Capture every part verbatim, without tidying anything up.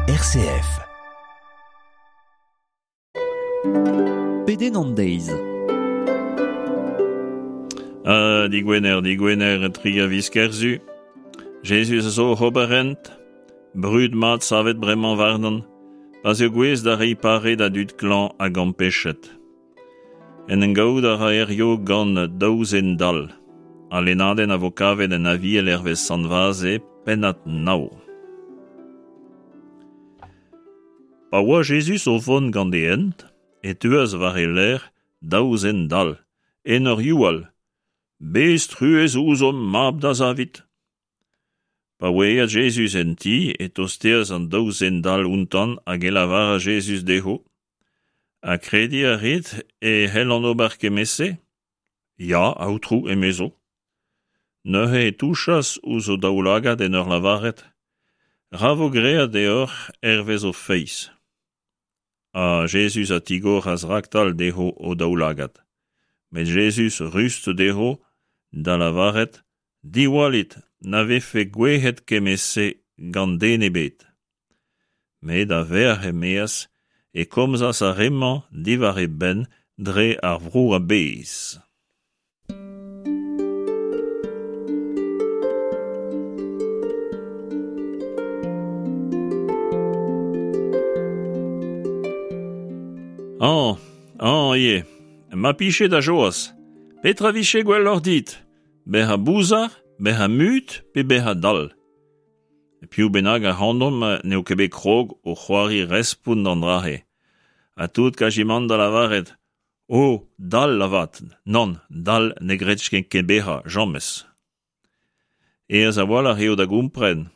R C F. Pedenn an deiz. Ah, digwener, digwener, tri a viz Kerzu. Jezuz a zo oc'h ober hent, brud mat savet bremañ warnan, pa'z eo gouest da reiñ pare da dud klañv hag ampechet. En em gaout a ra hirio gant daou zen dall. Al lennadenn a vo kavet en Aviel hervez Sant Vaze, pennad nav. Pa oa Jezuz o vont gant e hent, e teuas war e lerc'h daou zen dall, en ur youal: Bez truez ouzhomp, mab da Zavid. Pa oa aet Jezuz en ti, e tosteas an daou zen dall outañ hag e lavaras Jezuz dezho: Ha krediñ a rit e c'hellan ober kement-se? Ya, Aotrou, emezo. Neuze e touchas ouzh o daoulagad en ur lavaret: Ra vo graet deoc'h hervez ho feiz. Ha Jezuz a tigoras raktal dezho o daoulagad. Met Jezuz rust dezho da lavaret: Diwallit, na vefe gouezet kement-se gant den ebet. Met a-vec'h e-maez e komzas ar re-mañ diwar e benn dre ar vro a-bezh. Añ, añ ivez, ma pije da joaz, petra vije gwelloc'h dit? Bezañ bouzar, bezañ mut pe bezañ dall? Piv bennak ac'hanomp n'eo ket bet krog o c'hoari respont d'an dra-se. Ha tout kazimant da lavaret: O, dall avat, nann, dall ne gredjen ket bezañ, james. Aes a-walc'h eo da gompren.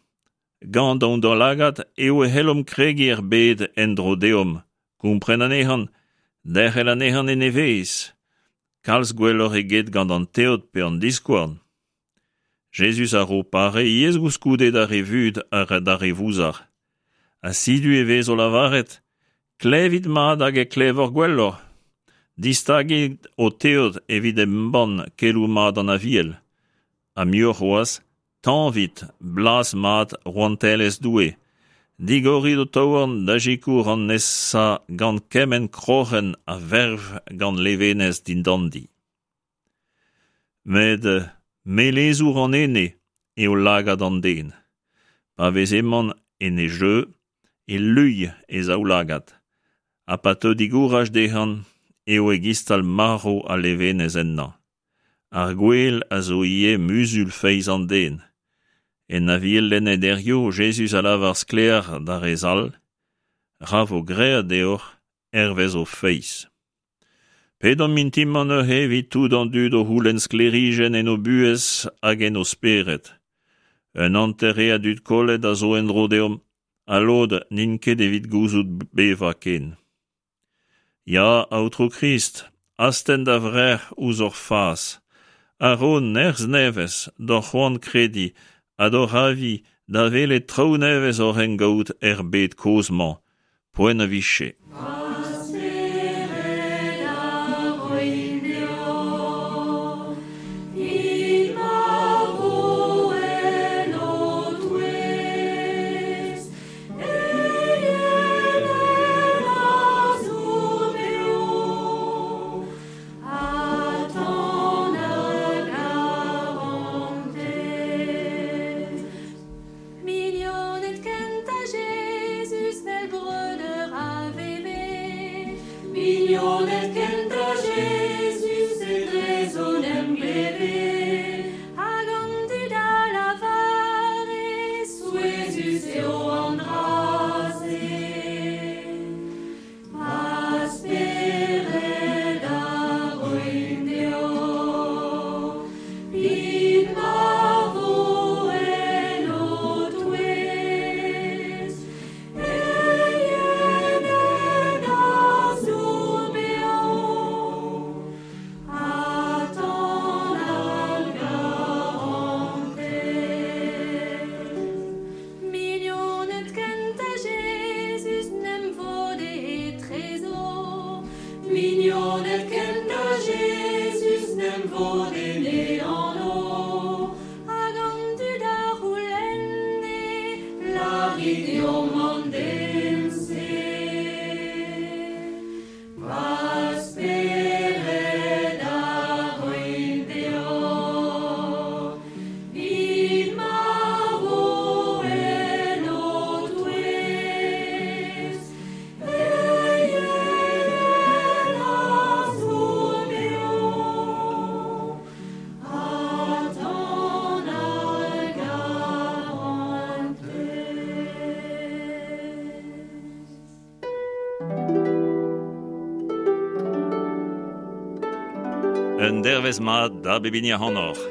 Gant hon daoulagad eo e c'hellomp kregiñ er bed en-dro deomp, kompren anezhañ, derc'hel anezhañ en e vezh. Kalz gwelloc'h eget gant an teod pe an diskouarn. Jezuz a ro pare ivez koulskoude d'ar re vut ha d'ar re vouzar. Ha setu e vez o lavaret: Klevit mat hag e klevoc'h gwelloc'h. Distagit ho teod evit embann keloù mat an Aviel. Ha muioc'h c'hoazh, tañvit blaz mat rouantelezh Doue. Digorit ho taouarn da sikour an nesañ gant kement kroc'hen a verv gant levenez dindandi. Met melezour an ene eo lagad an den. Pa vez emañ en e jeu, e luilh e zaoulagad. Ha pa teu digouraj dezhañ eo e-gistal marv al levenez ennañ. Ar gwel a zo ivez muzul feiz an den. En Aviel lennet hiziv, Jezuz a lavar sklaer d'ar re zall: Ra vo graet deoc'h hervez ho feiz. Pedomp mintin-mañ neuze evit tout an dud o c'houlenn sklêrijenn en o buhez hag en o spered. Un hanter re a dud kollet a zo en-dro deomp, ha lod n'int ket evit gouzout bevañ ken. Ya, Aotrou Krist, astenn da vrec'h ouzh hor fas, ha ro nerzh nevez d'hor c'hoant krediñ ha d'hor avi da welet traoù nevez oc'h en gaout er bed kozh-mañ, poent a vije. Mignoned kentañ Jezuz 'vel breudeur a veve. Mignoned kentañ Jezuz etrezo 'n em gleve. Hag an dud a lavare, souezhus eo an dra-se. Ma spered a roin deoc'h, 'vit ma vo en ho touez. Eienenn a zour beo, ha tan ar garantez. Mignoned rit deomp an den-se. Va spered a roin deoc'h, 'vit ma vo en ho touez. Eienenn a zo beo, ha tan ar garantez. Un dervezh mat da bep hini ac'hanoc'h.